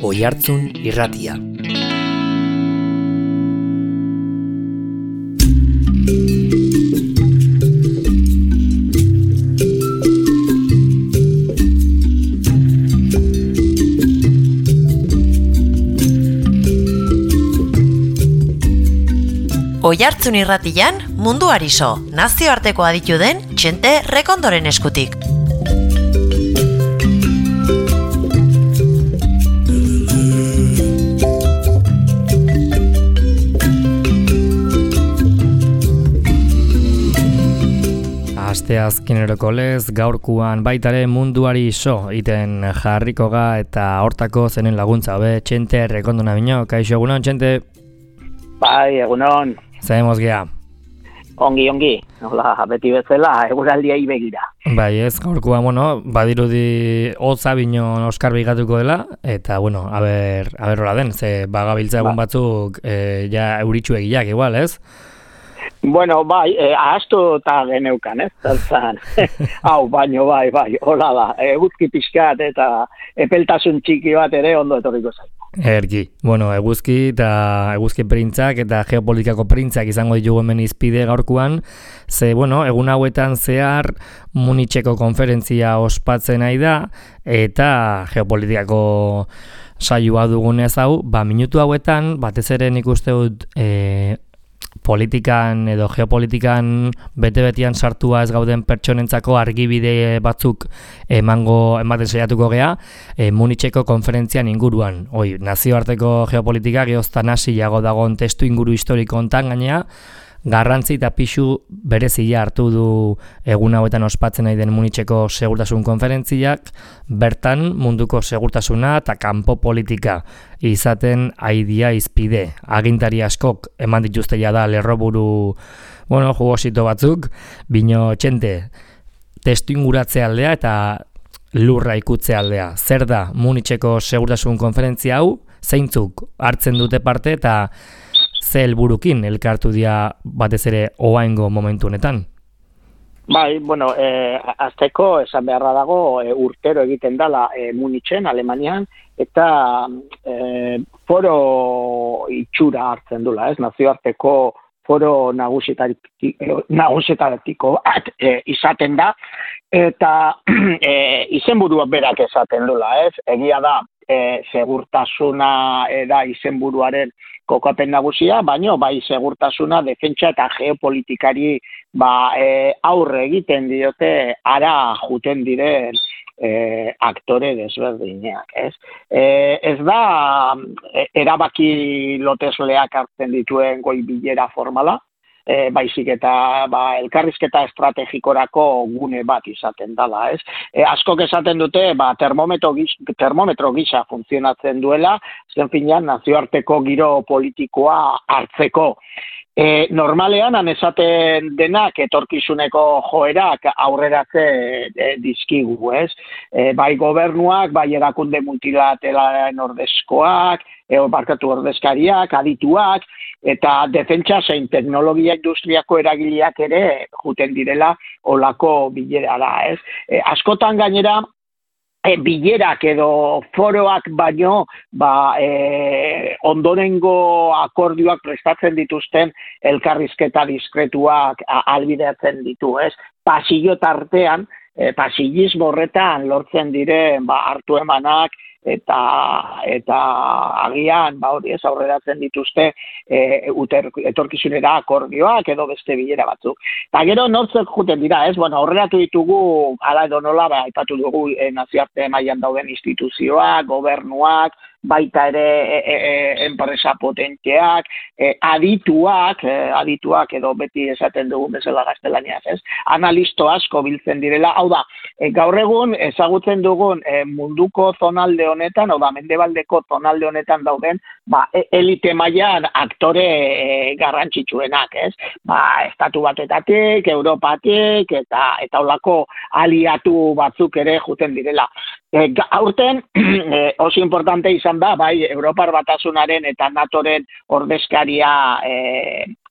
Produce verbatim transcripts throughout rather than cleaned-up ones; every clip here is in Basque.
Oihartzun Irratia. Oihartzun Irratian munduari so, nazioarteko aditu den Txente Rekondoren eskutik. Asteazkeneroko lez, gaurkuan baitare munduari so iten jarriko ga eta hortako zenen laguntza be Txente Rekondona bino. Kaixo, egunon, Txente? Bai, egunon. Zaemos gea. Ongi, ongi. Hola, beti bezala, eguraldiai begira. Bai, ez, gaurkoa, bueno, badirudi hotza bino Oskar bigatuko dela, eta, bueno, aber, aber hola den, ze bagabiltza egun ba. batzuk e, ja euritxu egiak, igual, ez? Bueno, bai, eh, ahaztu eta geneukan, ez? Zaltzan, hau, baino, bai, bai, hola da, eguzki pixkat eta epeltasun txiki bat ere ondo etorriko zaitu. Erki, bueno, eguzki eta eguzki printzak eta geopolitikako printzak izango ditugu hemen izpide gaurkuan, ze, bueno, egun hauetan zehar Municheko konferentzia ospatzen nahi da, eta geopolitikako saioa dugunez hau, ba, minutu hauetan, batez ere nik uste dut, e, politikan edo geopolitikan bete-betian sartua ez gauden pertsonentzako argibide batzuk emango ematen saiatuko gea e, Municheko konferentzian inguruan. Oi, nazioarteko geopolitika geoztan hasiago dagoen testu inguru historiko hontan gainea, garrantzi eta pixu berezia hartu du egun hauetan ospatzen nahi den Municheko segurtasun konferentziak, bertan munduko segurtasuna eta kanpo politika izaten aidia izpide. Agintari askok eman dituzte ja da lerroburu, bueno, jugosito batzuk, bino Txente, testu inguratze aldea eta lurra ikutze aldea. Zer da Municheko segurtasun konferentzia hau, zeintzuk hartzen dute parte eta ze helburukin elkartu dira batez ere oaingo momentu honetan? Bai, bueno, eh, azteko esan beharra dago e, urtero egiten dala e, Munichen, Alemanian, eta e, foro itxura hartzen dula, ez? Nazioarteko foro nagusietaratiko bat e, izaten da, eta e, izenburua berak esaten dula, ez? Egia da, e, segurtasuna da izenburuaren kokapen nagusia, baino bai segurtasuna, defentsa eta geopolitikari ba, e, aurre egiten diote ara juten diren e, aktore desberdinak, ez? E, ez da e, erabaki lotesleak hartzen dituen goi bilera formala, e, baizik eta ba, elkarrizketa estrategikorako gune bat izaten dela, ez? E, askok esaten dute ba, termometro, gis, termometro gisa funtzionatzen duela, zen finean nazioarteko giro politikoa hartzeko. E, normalean, han esaten denak etorkizuneko joerak aurreratze e, dizkigu, ez? E, bai gobernuak, bai erakunde multilateralen ordezkoak, e, barkatu ordezkariak, adituak, eta defentsa zein teknologia industriako eragileak ere juten direla olako bilerara, ez? E, askotan gainera, E, bilerak edo foroak baino ba, e, ondorengo akordioak prestatzen dituzten elkarrizketa diskretuak ahalbidetzen ditu, ez? Pasillo tartean, e, pasillismo horretan lortzen diren ba, hartu emanak eta eta agian ba hori ez aurreratzen dituzte e, uter, etorkizunera akordioak edo beste bilera batzuk. Eta gero nortzek juten dira, ez? Bueno, aurreratu ditugu hala edo nola ba aipatu dugu e, nazioarte mailan dauden instituzioak, gobernuak, baita ere e, e, e, enpresa potenteak, e, adituak, e, adituak edo beti esaten dugu bezala gaztelaniaz, ez? Analisto asko biltzen direla, hau da, e, gaur egun ezagutzen dugun e, munduko zonalde honetan, hau da, mendebaldeko zonalde honetan dauden, ba, elite mailan aktore e, garrantzitsuenak, ez? Ba, estatu batetatik, Europatik, eta eta holako aliatu batzuk ere juten direla. E, aurten, e, oso importante izan da, bai, Europar Batasunaren eta NATOren ordezkaria e,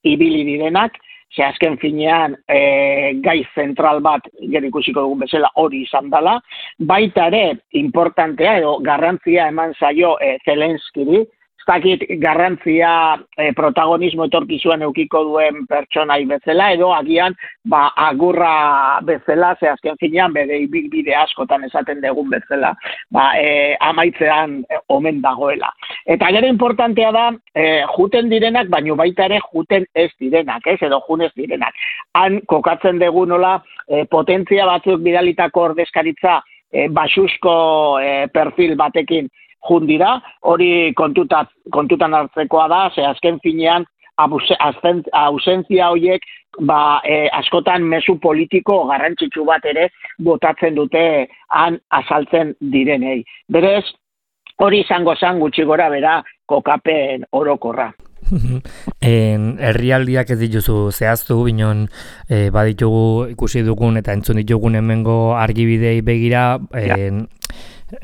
ibili direnak, ze azken finean e, gai zentral bat, gero ikusiko dugun bezala, hori izan dela, baita ere, importantea edo garrantzia eman zaio e, Zelenskiri, zakit garrantzia e, protagonismo etorkizuan eukiko duen pertsonai bezala, edo agian ba, agurra bezala, ze azken finean bere bide askotan esaten dugun bezala, ba, e, amaitzean e, omen dagoela. Eta gero importantea da, e, juten direnak, baino baita ere juten ez direnak, ez, edo jun ez direnak. Han kokatzen dugu nola e, potentzia batzuk bidalitako ordezkaritza e, basusko e, perfil batekin jundira, hori kontutan, kontutan hartzekoa da, ze azken finean ausentzia horiek ba, e, askotan mezu politiko garrantzitsu bat ere botatzen dute han azaltzen direnei. Berez, hori izango zan gutxi gora bera kokapen orokorra. En, herrialdiak ez dituzu zehaztu, binon e, baditugu ikusi dugun eta entzun ditugun hemengo argibidei begira, en,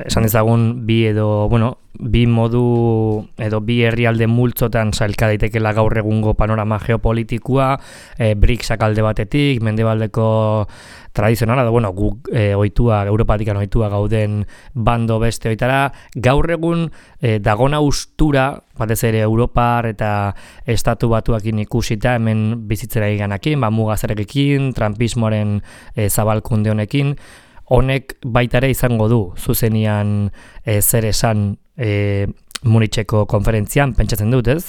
esan ezagun bi edo, bueno, bi modu edo bi herrialde multzotan sailka daitekela gaur egungo panorama geopolitikoa, e, BRICSak alde batetik, mendebaldeko tradizionala, edo, bueno, guk e, ohitua, Europatikan ohitua gauden bando beste oitara, gaur egun e, dagona ustura, batez ere Europar eta estatu batuakin ikusita, hemen bizitzera iganakin, ba, mugazarekin, trumpismoaren e, zabalkunde honekin, honek baita ere izango du zuzenian e, zer esan e, Municheko konferentzian, pentsatzen dut, ez?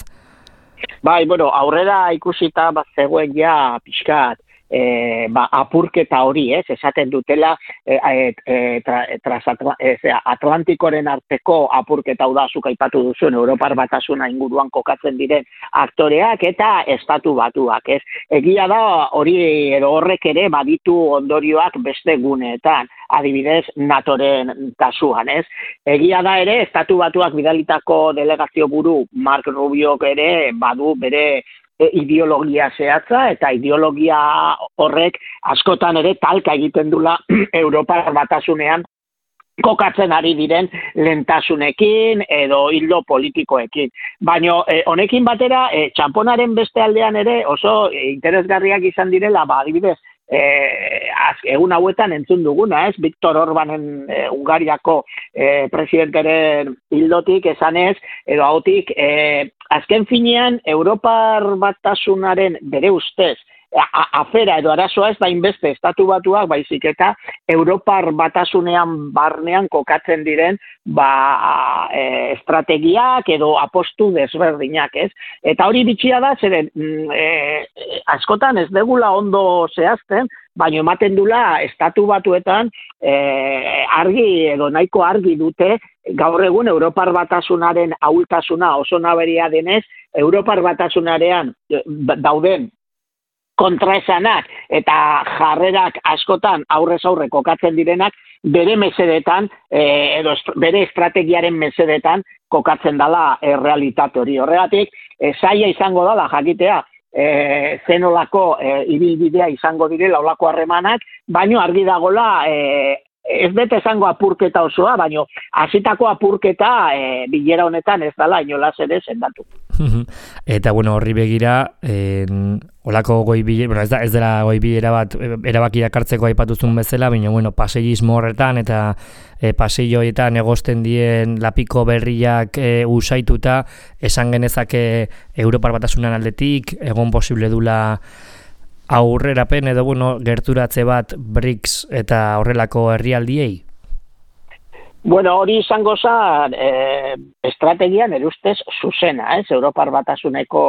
Bai, bueno, aurrera ikusita bat zegoen ja pixkat e, ba, apurketa hori, ez, esaten dutela e, e, tra, trasatla, e, Atlantikoren arteko apurketa hau da, zuk aipatu duzuen Europar Batasuna inguruan kokatzen diren aktoreak eta estatu batuak, ez. Egia da hori edo horrek ere baditu ondorioak beste guneetan, adibidez NATOren kasuan, ez. Egia da ere, estatu batuak bidalitako delegazio buru Mark Rubiok ere badu bere E, ideologia zehatza eta ideologia horrek askotan ere talka egiten dula Europar Batasunean kokatzen ari diren lentasunekin edo hildo politikoekin. Baina e, honekin batera, e, txamponaren beste aldean ere oso e, interesgarriak izan direla, ba, adibidez, E, az, egun hauetan entzun duguna, ez? Viktor Orbanen e, Ungariako e, presidenteren hildotik esanez, edo hautik, e, azken finean Europar Batasunaren bere ustez, a, afera edo arazoa ez da inbeste estatu batuak, baizik eta Europar Batasunean barnean kokatzen diren ba, e, estrategiak edo apostu desberdinak, ez? Eta hori bitxia da, zeren e, askotan ez degula ondo zehazten, baina ematen dula estatu batuetan e, argi edo nahiko argi dute gaur egun Europar Batasunaren ahultasuna oso naberia denez, Europar Batasunarean dauden kontraesanak eta jarrerak askotan aurrez aurre kokatzen direnak bere mesedetan e, edo est, bere estrategiaren mesedetan kokatzen dala e, realitate hori. Horregatik, e, zaila izango dala jakitea e, zenolako e, ibilbidea izango direla olako harremanak, baino argi dagola e, ez bete esango apurketa osoa, baino hasitako apurketa e, bilera honetan ez dala inolaz ere sendatu. Eta bueno, horri begira, en, olako goi bilera, bueno, ez da ez dela goi bilera bat erabakiak hartzeko aipatuzun bezala, baina bueno, paseillismo horretan eta e, paseilloetan egosten dien lapiko berriak e, usaituta, esan genezake Europar Batasunan aldetik, egon posible dula aurrerapen edo bueno, gerturatze bat BRICS eta horrelako herrialdiei? Bueno, hori izango zen e, estrategian erustez zuzena, ez? Europar Batasuneko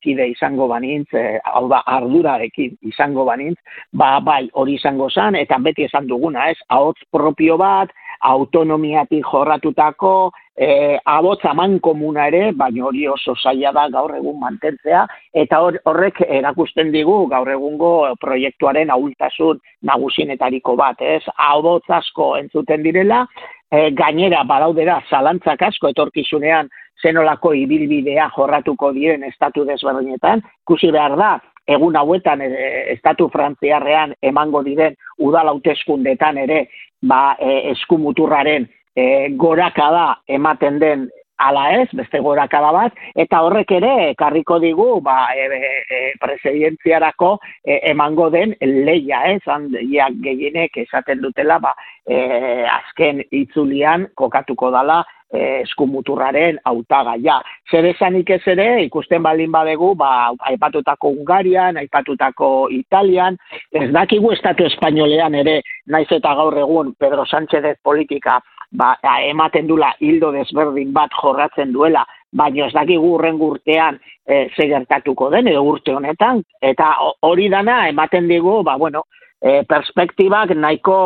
kide izango banintz, e, hau da, ardurarekin izango banintz, ba, bai, hori izango zen, eta beti esan duguna, ez? Ahots propio bat, autonomiatik jorratutako, e, abots aman komuna ere, baina hori oso zaila da gaur egun mantentzea, eta hor, horrek erakusten digu gaur egungo proiektuaren ahultasun nagusinetariko bat, ez? Abots asko entzuten direla, E, gainera badaudera zalantzak asko etorkizunean zenolako ibilbidea jorratuko diren estatu desberdinetan, ikusi behar da, egun hauetan e, estatu frantziarrean emango diren udal hauteskundeetan ere ba, e, eskumuturraren e, gorakada ematen den ala ez, beste gorakada bat, eta horrek ere ekarriko digu ba, e, e, presidentziarako e, emango den leia, ez, handiak gehienek esaten dutela, ba, e, azken itzulian kokatuko dala e, eskumuturraren hautagaia. Zer esanik ez ere, ikusten baldin badegu, ba, aipatutako Hungarian, aipatutako Italian, ez dakigu estatu espainolean ere, naiz eta gaur egun Pedro Sánchez politika ba, ematen dula hildo desberdin bat jorratzen duela, baina ez dakigu hurrengo urtean e, ze gertatuko den, edo urte honetan, eta hori dana ematen digu, ba, bueno, e, perspektibak nahiko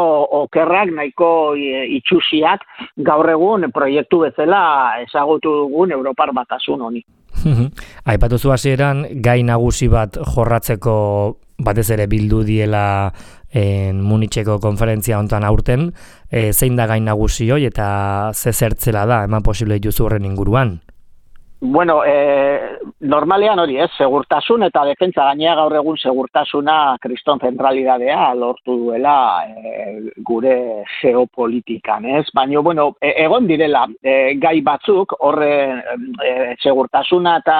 okerrak, nahiko e, itxusiak gaur egun proiektu bezala ezagutu dugun Europar Batasun honi. Aipatu zu hasieran gai nagusi bat jorratzeko batez ere bildu diela en Municheko konferentzia hontan aurten, e, zein da gain nagusi hoi eta ze zertzela da, eman posible dituzu horren inguruan? Bueno, e, normalean hori ez, segurtasun eta defentsa, gainea gaur egun segurtasuna kriston zentralidadea lortu duela e, gure geopolitikan, ez? Baina, bueno, e, egon direla e, gai batzuk, horre e, segurtasuna eta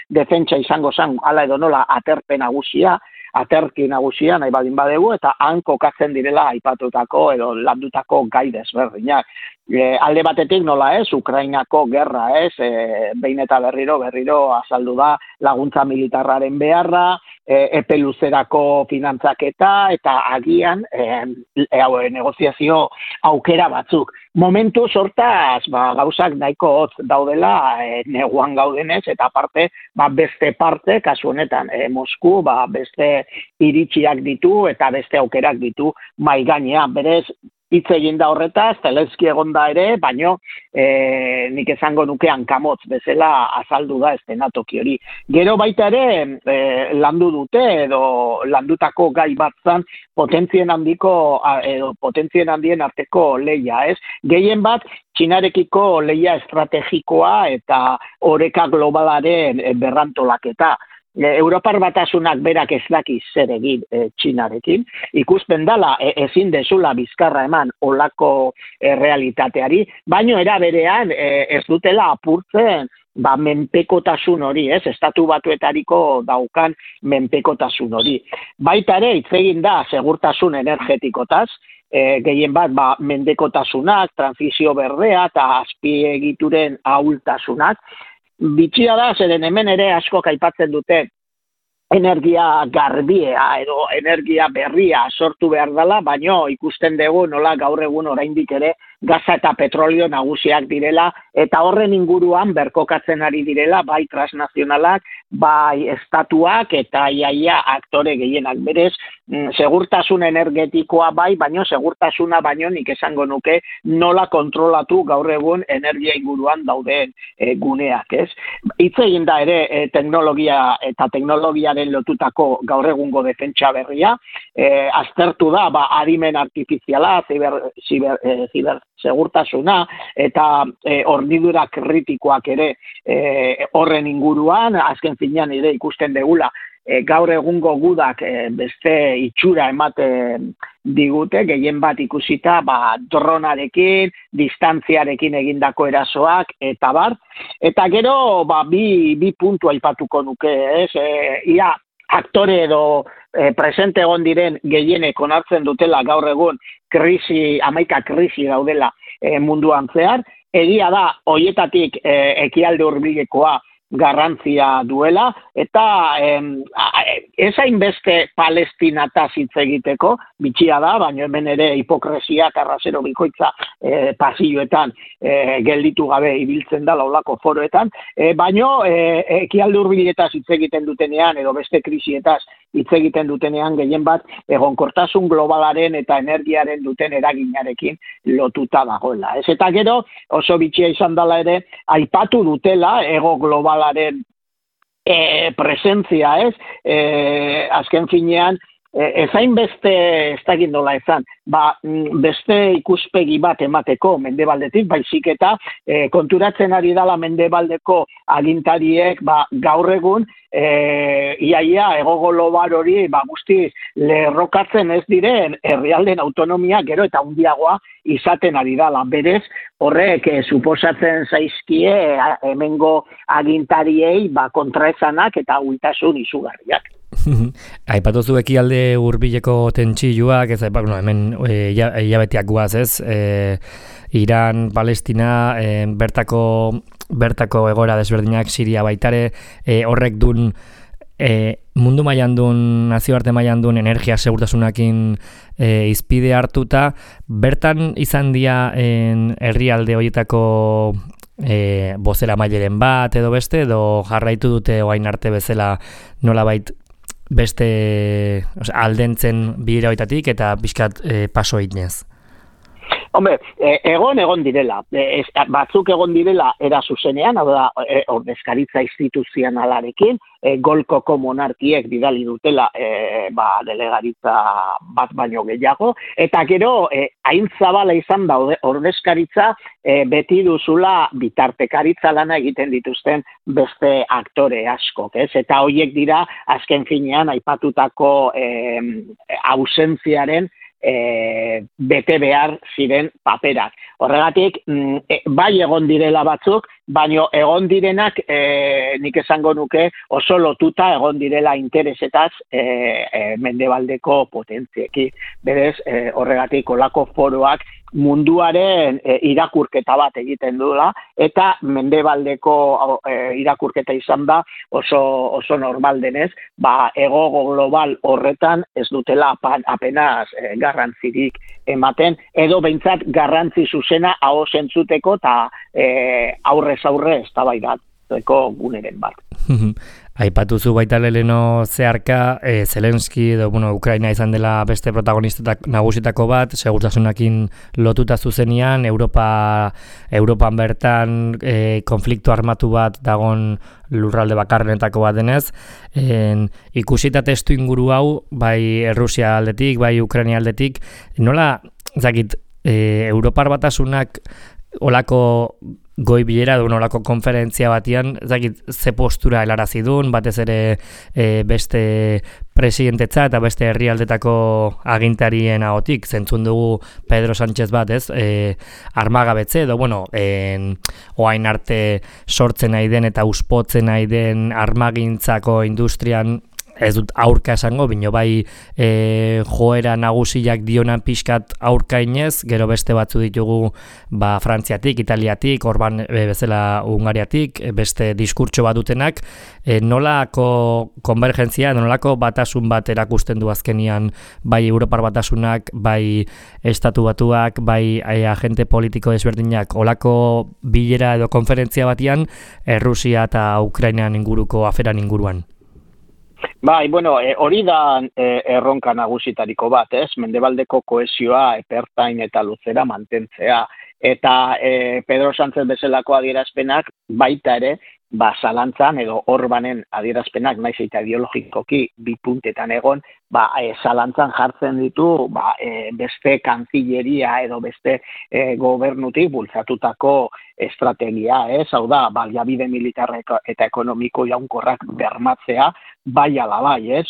defentsa izango zen, ala edo nola, aterpe nagusia, aterki nagusia nahi baldin badegu, eta han kokatzen direla aipatutako edo landutako gai desberdinak. E, alde batetik nola ez, Ukrainako gerra ez, e, behin eta berriro, berriro azaldu da laguntza militarraren beharra, e, epe luzerako finantzaketa, eta agian e, e, negoziazio aukera batzuk. Momentu sortaz, ba, gauzak nahiko hotz daudela e, neguan gaudenez, eta aparte, ba, beste parte, kasu honetan, e, Mosku, ba, beste iritsiak ditu, eta beste aukerak ditu mai gainean, berez, hitz egin da horretaz, Zelenski egon da ere, baino e, nik esango nuke hankamotz bezala azaldu da estenatoki hori. Gero baita ere e, landu dute edo landutako gai bat zan potentzien handiko edo potentzien handien arteko leia, ez? Gehien bat Txinarekiko leia estrategikoa eta oreka globalaren berrantolaketa. Europar Batasunak berak ez daki zer egin e, Txinarekin, ikuspen dala e, ezin dezula bizkarra eman olako e, realitateari, baino era berean e, ez dutela apurtzen ba, menpekotasun hori, ez, estatu batuetariko daukan menpekotasun hori. Baita ere, hitz egin da segurtasun energetikotaz, e, gehien bat ba, mendekotasunak, transizio berdea eta azpiegituren ahultasunak. Bitxia da, zeren hemen ere askok aipatzen dute energia garbia edo energia berria sortu behar dela, baino ikusten dugu nola gaur egun oraindik ere gaza eta petrolio nagusiak direla, eta horren inguruan berkokatzen ari direla, bai transnazionalak, bai estatuak, eta iaia aktore gehienak berez, segurtasun energetikoa bai, baino segurtasuna baino nik esango nuke nola kontrolatu gaur egun energia inguruan dauden e, guneak, ez? Hitz egin da ere e, teknologia eta teknologiaren lotutako gaur egungo defentsa berria, e, aztertu da, ba, adimen artifiziala, ziber, ziber, e, ziber segurtasuna eta e, hornidura kritikoak ere e, horren inguruan, azken finean ere ikusten degula, e, gaur egungo gudak e, beste itxura ematen digute, gehien bat ikusita ba, dronarekin, distantziarekin egindako erasoak, eta bar. Eta gero ba, bi, bi puntu aipatuko nuke, ez? E, ia aktore edo e, presente egon diren gehienek onartzen dutela gaur egun krisi, hamaika krisi daudela e, munduan zehar. Egia da, hoietatik e, ekialde hurbilekoa garrantzia duela, eta em, ez hainbeste Palestinataz hitz egiteko, bitxia da, baina hemen ere hipokresia eta arrazero bikoitza e, pasilloetan e, gelditu gabe ibiltzen da laulako foroetan, e, baina e, ekialde hurbiletaz hitz egiten dutenean, edo beste krisietaz hitz egiten dutenean gehien bat egonkortasun globalaren eta energiaren duten eraginarekin lotuta dagoela. Ez eta gero oso bitxia izan dela ere, aipatu dutela ego globalaren e, presentzia, ez? E, azken finean ezain beste, ez dakit nola ezan, ba, beste ikuspegi bat emateko mendebaldetik, baizik eta e, konturatzen ari dala mendebaldeko agintariek ba, gaur egun e, iaia ego global hori ba, guzti lerrokatzen ez diren herrialden autonomia gero eta handiagoa izaten ari dala. Berez, horrek e, suposatzen zaizkie hemengo agintariei ba, kontraesanak eta huitasun izugarriak. Aipatu zu ekialde hurbileko tentsioak, ez bueno, hemen e, hilabetiak guaz, ez? E, Iran, Palestina, e, bertako bertako egoera desberdinak, Siria baitare, e, horrek dun e, mundu mailan dun, nazioarte mailan dun energia segurtasunakin e, izpide hartuta, bertan izan dira herrialde horietako e, bozera maileren bat edo beste, edo jarraitu dute orain arte bezala nolabait beste osea, aldentzen bidera hoitatik eta pixkat e, paso eginez. Hombre, egon egon direla, e, batzuk egon direla era zuzenean, hau da, e, ordezkaritza instituzionalarekin, e, golkoko monarkiek bidali dutela e, ba, delegaritza bat baino gehiago, eta gero, e, hain zabala izan da ordezkaritza, e, beti duzula bitartekaritza lana egiten dituzten beste aktore askok, ez? Eta horiek dira, azken finean, aipatutako e, ausentziaren E, bete behar ziren paperak. Horregatik, e, bai egon direla batzuk, baino egon direnak e, nik esango nuke oso lotuta egon direla interesetaz e, e, mendebaldeko potentziekin. Berez, e, horregatik olako foroak munduaren e, irakurketa bat egiten dula, eta mendebaldeko e, irakurketa izan da oso, oso normal denez, ba, ego global horretan ez dutela apenas e, garrantzirik ematen, edo behintzat garrantzi zuzena aho zentzuteko eta e, aurrez aurre eztabaidatzeko guneren bat. Aipatu zu baita leheno zeharka, e, Zelenski edo bueno, Ukraina izan dela beste protagonista nagusitako bat, segurtasunakin lotuta zuzenean, Europa, Europan bertan e, konflikto armatu bat dagon lurralde bakarrenetako bat denez, en, ikusita testu inguru hau, bai Errusia aldetik, bai Ukraina aldetik, nola, zakit, e, Europar batasunak olako goi bilera duen olako konferentzia batian, zakit, ze postura helarazi duen, batez ere e, beste presidentetza eta beste herrialdetako agintarien ahotik, zentzun dugu Pedro Sánchez bat, ez, e, armagabetze, edo, bueno, en, oain arte sortzen nahi den eta uspotzen nahi den armagintzako industrian ez dut aurka esango, bino bai e, joera nagusiak dionan pixkat aurkainez, gero beste batzu ditugu ba, Frantziatik, Italiatik, Orban e, bezala Hungariatik, beste diskurtso bat dutenak, e, nolako konvergentzia, nolako batasun bat erakusten du azkenian bai Europar batasunak, bai Estatu Batuak, bai e, agente politiko desberdinak, olako bilera edo konferentzia batian, Errusia eta Ukrainan inguruko aferan inguruan. Bai, bueno, e, hori da e, erronka nagusitariko bat, ez? Mendebaldeko kohesioa epertain eta luzera mantentzea. Eta e, Pedro Sánchez bezalako adierazpenak baita ere, ba, zalantzan edo Orbanen adierazpenak naiz eta ideologikoki bi puntetan egon, ba, e, zalantzan jartzen ditu ba, e, beste kanzilleria edo beste e, gobernutik bultzatutako estrategia, ez? Hau da, baliabide militar eta ekonomiko jaunkorrak bermatzea, bai ala bai, ez?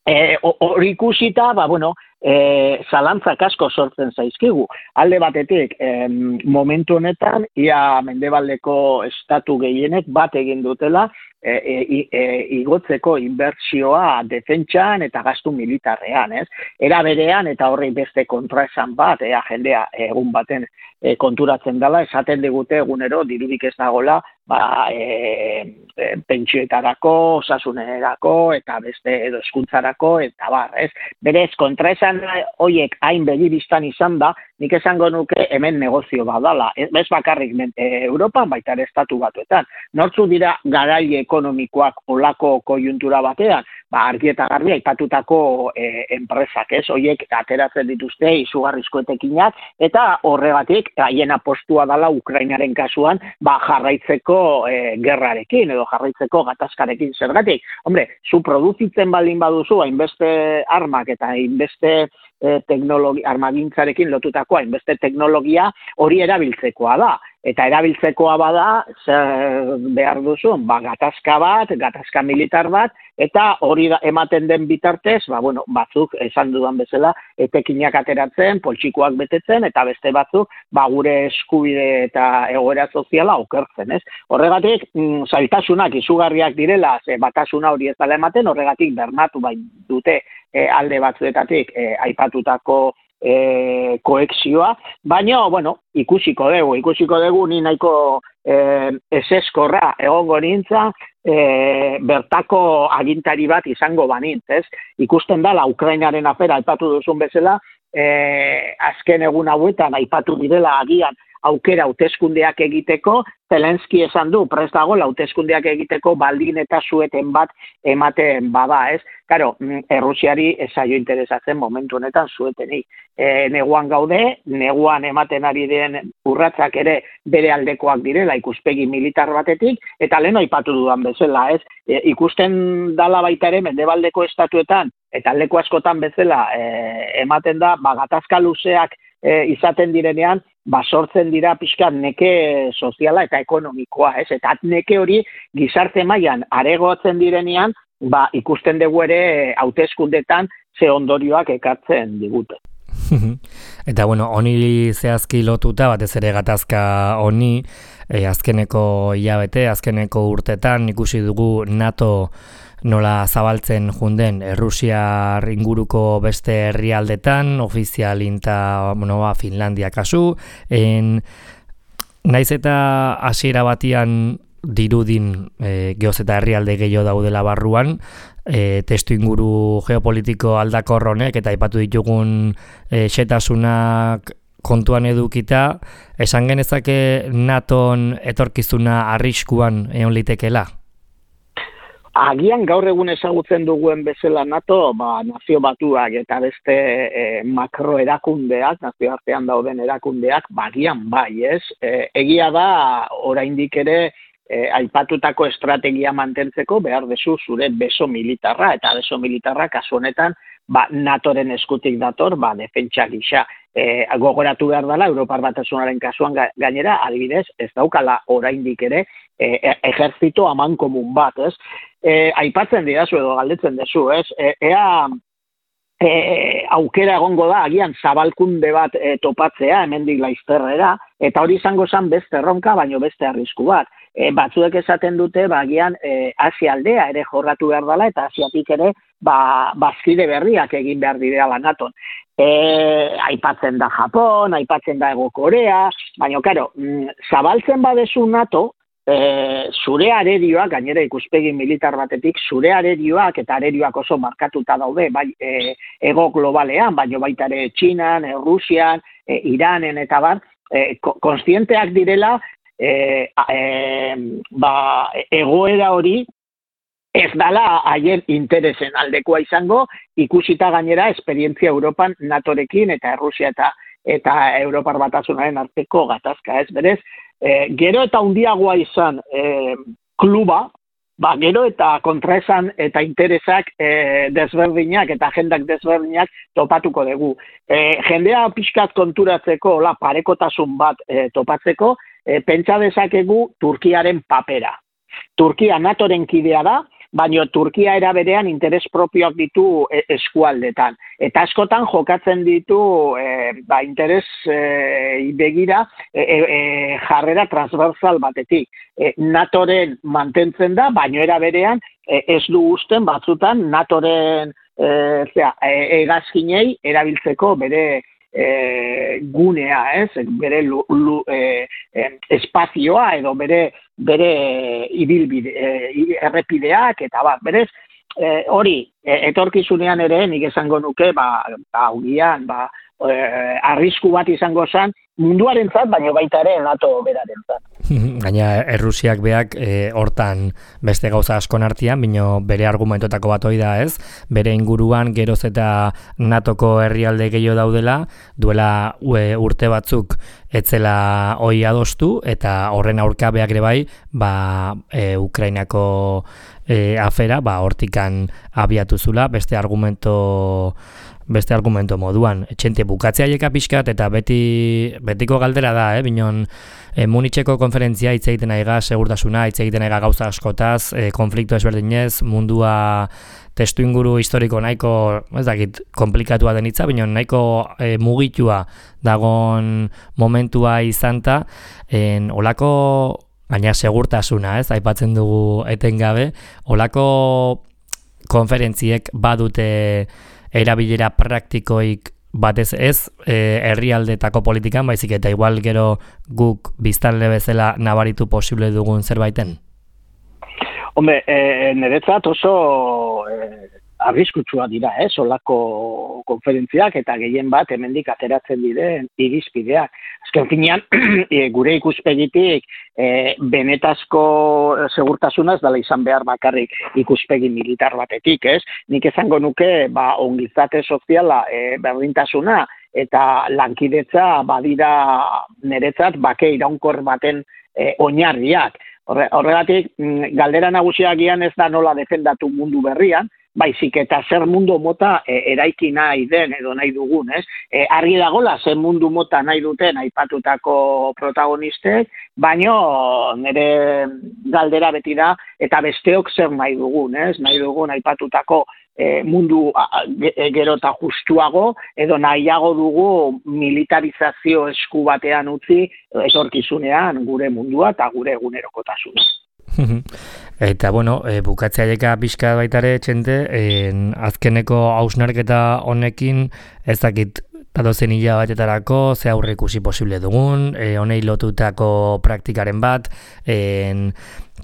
Hori e, ikusita, ba, bueno, e, zalantzak asko sortzen zaizkigu. Alde batetik, e, momentu honetan, ia mendebaldeko estatu gehienek bat egin dutela, e, e, e, igotzeko inbertsioa defentsan eta gastu militarrean, ez? Era berean, eta horrei beste kontraesan bat, ea jendea egun baten e, konturatzen dela, esaten digute egunero dirurik ez dagola, ba, e, e, pentsioetarako, osasunerako, eta beste edo hezkuntzarako eta bar, ez? Berez, kontraesan horiek hain begibistan izan da, nik esango nuke hemen negozio badala, ez bakarrik e, Europan, baita ere Estatu Batuetan. Nortzu dira garaile ekonomikoak olako koiuntura batean, ba, argi eta garbi aipatutako e, enpresak, ez? Hoiek ateratzen dituzte izugarrizko etekinak, eta horregatik haien apostua dela Ukrainaren kasuan, ba, jarraitzeko e, gerrarekin, edo jarraitzeko gatazkarekin. Zergatik, hombre, zu produzitzen baldin baduzu, hainbeste armak eta hainbeste e, teknologi, armagintzarekin lotutako hainbeste teknologia hori erabiltzekoa da. Eta erabiltzekoa bada, zer behar duzu, ba, gatazka bat, gatazka militar bat, eta hori da, ematen den bitartez, ba, bueno, batzuk, esan dudan bezala, etekinak ateratzen, poltsikoak betetzen, eta beste batzuk, ba, gure eskubide eta egoera soziala okertzen, ez? Horregatik, mm, zailtasunak izugarriak direla, ze batasuna hori ez dela ematen, horregatik bernatu bai dute e, alde batzuetatik e, aipatutako E, koexioa, baina, bueno, ikusiko dugu, ikusiko dugu ni nahiko e, eseskorra egongo nintza, e, bertako agintari bat izango banintz, ez? Ikusten dela Ukrainaren afera aipatu duzun bezala, e, azken egun hauetan aipatu direla agian aukera hauteskundeak egiteko, Zelenski esan du, prest dago hauteskundeak egiteko baldin eta sueten bat ematen bada, ez? Karo, Errusiari ez zaio interesatzen momentu honetan suetenik. E, neguan gaude, neguan ematen ari den urratsak ere bere aldekoak direla ikuspegi militar batetik, eta lehen aipatu dudan bezala, ez? E, ikusten dala baita ere mendebaldeko estatuetan, eta leku askotan bezala e, ematen da, ba, gatazka luzeak e, izaten direnean, ba, sortzen dira pixkat neke soziala eta ekonomikoa, ez? Eta neke hori gizarte mailan aregotzen direnean, ba, ikusten dugu ere hauteskundetan ze ondorioak ekartzen digute. Eta bueno, honi zehazki lotuta, batez ere gatazka honi, e, azkeneko hilabete, azkeneko urtetan ikusi dugu NATO nola zabaltzen junden Errusiar inguruko beste herrialdetan, ofizialinta, bueno, Finlandia kasu, en, naiz eta hasiera batian dirudin e, geoz eta herrialde gehiago daudela barruan, e, testu inguru geopolitiko aldakor honek eta aipatu ditugun e, xetasunak kontuan edukita, esan genezake NATOn etorkizuna arriskuan egon litekeela? Agian gaur egun ezagutzen duguen bezala NATO, ba, nazio batuak eta beste e, makro erakundeak, nazio artean dauden erakundeak, bagian bai, ez? E, egia da, oraindik ere, e, aipatutako estrategia mantentzeko behar dezu zure beso militarra, eta beso militarra kasu honetan, ba, NATOren eskutik dator, ba, defentsa gisa. E, gogoratu behar dela, Europar Batasunaren kasuan gainera, adibidez, ez daukala oraindik ere, e, ejertzito amankomun bat, ez? E, aipatzen didazu edo galdetzen dezu, ez? E, ea e, aukera egongo da, agian zabalkunde bat e, topatzea, hemendik laizterrera, eta hori izango zen beste erronka, baino beste arrisku bat. E, batzuek esaten dute, ba, agian e, Asia aldea ere jorratu behar dela, eta Asiatik ere, ba, bazkide berriak egin behar direla NATOn. E, aipatzen da Japon, aipatzen da Hego Korea, baina, karo, zabaltzen badezu NATO, e, zure arerioak, gainera ikuspegi militar batetik, zure arerioak eta arerioak oso markatuta daude, bai, e, ego globalean, baina baita ere Txinan, e, Rusian, e, Iranen eta bar, e, konstienteak direla, e, e, ba, egoera hori, ez dala haien interesen aldekoa izango, ikusita gainera esperientzia Europan NATOrekin eta Errusia eta eta Europar Batasunaren arteko gatazka, ez berez. E, gero eta handiagoa izan e, kluba, ba, gero eta kontraesan eta interesak e, desberdinak eta agendak desberdinak topatuko dugu. E, jendea pixkat konturatzeko, la, parekotasun bat e, topatzeko, e, pentsa dezakegu Turkiaren papera. Turkia NATOren kidea da, baina Turkia era berean interes propioak ditu eskualdetan. Eta askotan jokatzen ditu e, ba, interes e, begira e, e, jarrera transversal batetik. E, NATOren mantentzen da, baina era berean e, ez du usten batzutan NATOren e, zera, e, egazkinei erabiltzeko bere E, gunea, ez, bere lu, lu, e, e, espazioa edo bere bere ibilbide, e, errepideak eta bat, berez, e, hori, e, etorkizunean ere nik esango nuke, ba, ba, ugian, ba, e, arrisku bat izango zen, munduarentzat, baino baita ere NATO berarentzat. Gaina Errusiak beak e, hortan beste gauza askon artean, bino bere argumentotako bat hori da, ez? Bere inguruan geroz eta NATOko herrialde gehiago daudela, duela ue, urte batzuk etzela hoi adostu, eta horren aurka beak ere bai, ba, e, Ukrainako e, afera, ba, hortikan abiatu zula, beste argumento beste argumento moduan. Etxente bukatzea jeka pixkat, eta beti betiko galdera da, eh? Binon, e, Munitzeko konferentzia hitz egiten aiga segurtasuna, hitz egiten aiga gauza askotaz, e, konflikto ezberdinez, mundua testu inguru historiko nahiko, ez dakit, komplikatua den hitza, binon nahiko e, mugitua dagon momentua izanta, en olako, gaina segurtasuna, ez, aipatzen dugu etengabe, olako konferentziek badute erabilera praktikoik batez ez e, herrialdetako politikan, baizik eta igual gero guk biztanle bezala nabaritu posible dugun zerbaiten? Hombre, e, niretzat oso e, arriskutsua dira, ez, olako konferentziak eta gehien bat hemendik ateratzen diren irizpideak. Azken finean, e, gure ikuspegitik e, benetazko segurtasunaz dela izan behar bakarrik ikuspegi militar batetik, ez? Nik esango nuke, ba, ongizate soziala, e, berdintasuna eta lankidetza badira niretzat bake iraunkor baten e, oinarriak. Horre, horregatik, galdera nagusiagian ez da nola defendatu mundu berrian, baizik eta zer mundu mota e, eraiki nahi den edo nahi dugun, ez? E, argi dagola zer mundu mota nahi duten aipatutako protagonistek, baino nire galdera beti da, eta besteok zer nahi dugun, ez? Nahi dugun aipatutako e, mundu a, gero eta justuago, edo nahiago dugu militarizazio esku batean utzi etorkizunean gure mundua eta gure egunerokotasuna. Eta, bueno, e, bukatzea jeka pixka baitare txente, en, azkeneko hausnarketa honekin ez dakit datozen hilabatetarako ze aurre ikusi posible dugun, e, honei lotutako praktikaren bat, en,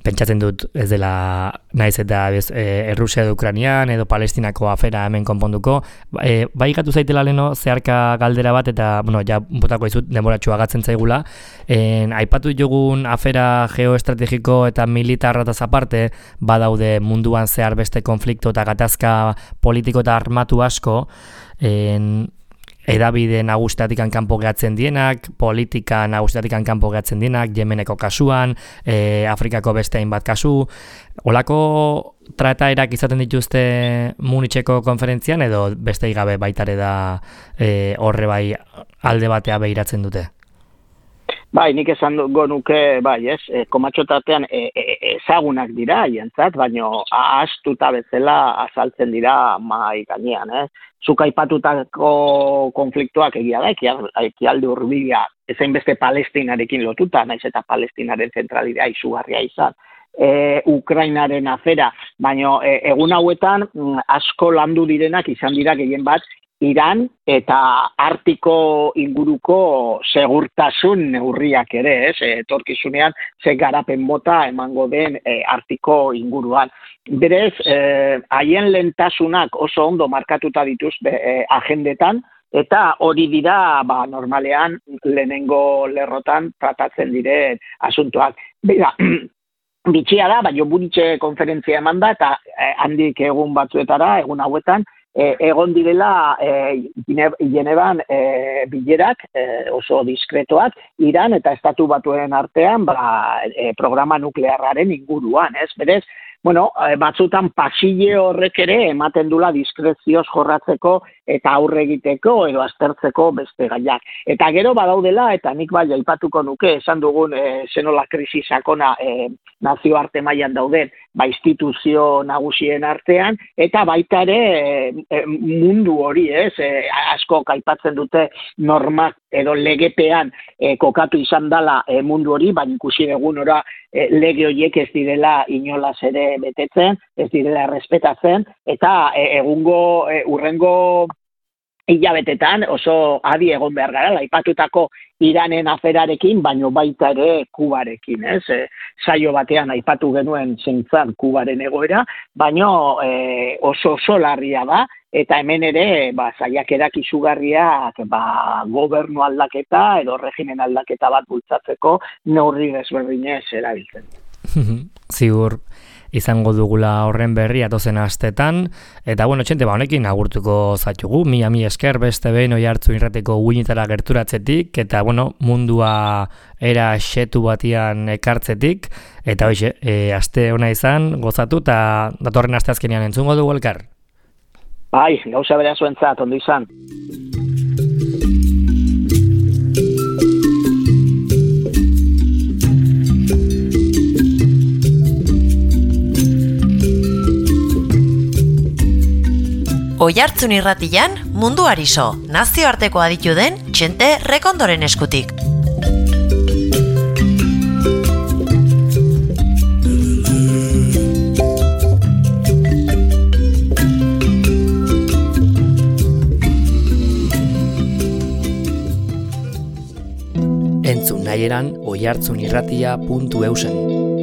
pentsatzen dut ez dela naiz eta bez, e, Errusia edo Ukrainian edo Palestinako afera hemen konponduko. E, bai gatu zaitela leno zeharka galdera bat eta, bueno, ja botako izut denboratxua gatzen zaigula. En, aipatu jogun afera geoestrategiko eta militarrataz aparte, badaude munduan zehar beste konflikto eta gatazka politiko eta armatu asko, en, edabide nagustatik kanpo gehatzen dienak, politika nagustatik kanpo gehatzen dienak, Yemeneko kasuan, e, Afrikako beste hainbat kasu. Olako trataerak izaten dituzte Munitzeko konferentzian edo beste gabe baitare da e, horre bai alde batea behiratzen dute? Bai, nik esan dugu nuke, bai, ez, e, komatxotatean e, e, ezagunak dira, hientzat, baino ahastuta bezala azaltzen dira mai gainean, ez. Zuk aipatutako konfliktuak egia da, ekialde hurbila, ezein beste Palestinarekin lotuta, naiz eta Palestinaren zentralidea izugarria izan. E, Ukrainaren afera, baino e, egun hauetan asko landu direnak izan dira gehien bat Iran eta Artiko inguruko segurtasun neurriak ere, ez? Etorkizunean ze garapen mota emango den e, Artiko inguruan. Berez, haien e, lehentasunak oso ondo markatuta dituzte e, agendetan, eta hori dira, ba, normalean lehenengo lerrotan tratatzen diren asuntoak. Bera, bitxia da, baina Munitzeko konferentzia eman da, eta eh, handik egun batzuetara, egun hauetan, eh, egon direla eh, Genevan eh, bilerak eh, oso diskretoak, Iran eta Estatu Batuen artean ba, eh, programa nuklearraren inguruan, ez? Berez, bueno, batzutan pasile horrek ere ematen dula diskrezioz jorratzeko eta aurre egiteko edo aztertzeko beste gaiak. Eta gero badaudela, eta nik bai aipatuko nuke, esan dugun e, zenola krisi sakona e, nazioarte mailan dauden, ba instituzio nagusien artean, eta baita ere e, mundu hori, ez, e, asko aipatzen dute normak edo legepean e, kokatu izan dela e, mundu hori, baina ikusi egun ora e, lege horiek ez direla inolaz ere betetzen, ez direla errespetatzen, eta e, egungo e, urrengo hilabetetan oso adi egon behar gara, aipatutako Iranen aferarekin, baino baita ere Kubarekin, ez? E, saio batean aipatu genuen zeintzan Kubaren egoera, baino e, oso oso larria da, eta hemen ere, ba, saiakerak izugarriak, ba, gobernu aldaketa edo regimen aldaketa bat bultzatzeko neurri desberdinez erabiltzen. Ziur izango dugula horren berri atozen astetan, eta bueno, txente, ba, honekin agurtuko zaitugu, mila mi esker beste behin Oihartzun Irratiko uinetara gerturatzetik, eta bueno, mundua era xetu batian ekartzetik, eta hoxe, e, aste ona izan, gozatu, eta datorren aste azkenean entzungo dugu elkar. Bai, gauza bera zuentzat, ondo izan. Oihartzun Irratian munduari so, nazioarteko aditu den Txente Rekondoren eskutik. Entzun nahieran oihartzunirratia puntu eusen.